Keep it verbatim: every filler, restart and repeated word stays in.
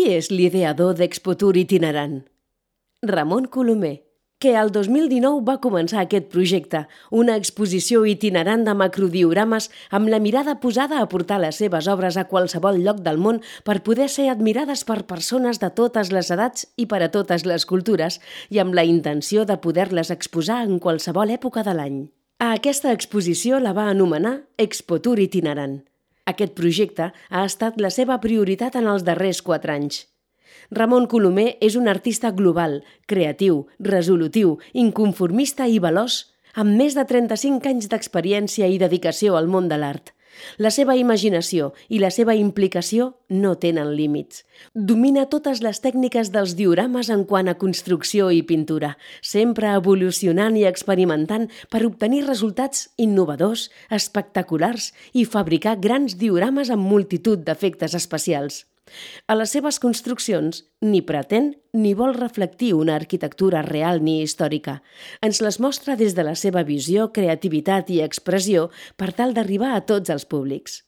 Qui és l'ideador d'Expotour itinerant? Ramon Colomer, que el dos mil dinou va començar aquest projecte, una exposició itinerant de macrodiorames amb la mirada posada a portar les seves obres a qualsevol lloc del món per poder ser admirades per persones de totes les edats i per a totes les cultures i amb la intenció de poder-les exposar en qualsevol època de l'any. A aquesta exposició la va anomenar Expotour itinerant. Aquest projecte ha estat la seva prioritat en els darrers quatre anys. Ramon Colomer és un artista global, creatiu, resolutiu, inconformista i veloç, amb més de trenta-cinc anys d'experiència i dedicació al món de l'art. La seva imaginació i la seva implicació no tenen límits. Domina totes les tècniques dels diorames en quant a construcció i pintura, sempre evolucionant i experimentant per obtenir resultats innovadors, espectaculars i fabricar grans diorames amb multitud d'efectes especials. A les seves construccions ni pretén ni vol reflectir una arquitectura real ni històrica. Ens les mostra des de la seva visió, creativitat i expressió per tal d'arribar a tots els públics.